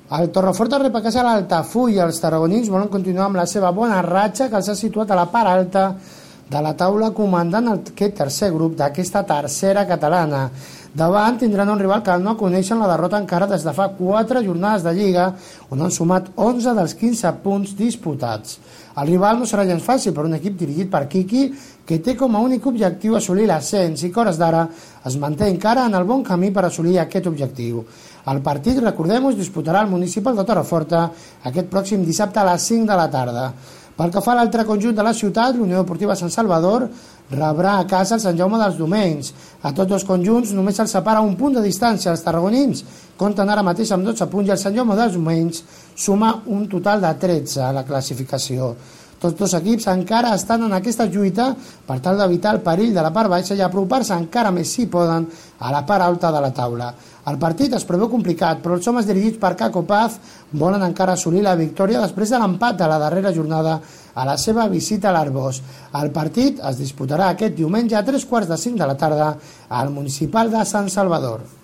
El Torreforta rep a casa l'Altafulla. Els tarragonins volen continuar amb la seva bona ratxa que els ha situat a la part alta de la taula comandant aquest tercer grup d'aquesta tercera catalana. Davant tindran un rival que no coneixen la derrota encara des de fa 4 jornades de Lliga, on han sumat 11 dels 15 punts disputats. El rival no serà gens fàcil per un equip dirigit per Quiqui, que té com a únic objectiu assolir l'ascens i que hores d'ara es manté encara en el bon camí per assolir aquest objectiu. El partit, recordem-ho, es disputarà al Municipal de Torreforta aquest pròxim dissabte a les 5 de la tarda. Pel que fa a l'altre conjunt de la ciutat, l'Unió Deportiva Sant Salvador rebrà a casa el Sant Jaume dels Domenys. A tots dos conjunts només se'ls separa un punt de distància. Els tarragonins compten ara mateix amb 12 punts i el Sant Jaume dels Domenys suma un total de 13 a la classificació. Tots dos equips encara estan en aquesta lluita per tal d'evitar el perill de la part baixa i apropar-se encara més si poden a la part alta de la taula. El partit es preveu complicat, però els homes dirigits per Caco Paz volen encara assolir la victòria després de l'empat de la darrera jornada a la seva visita a l'Arbós. El partit es disputarà aquest diumenge a 3:45 de la tarda al Municipal de Sant Salvador.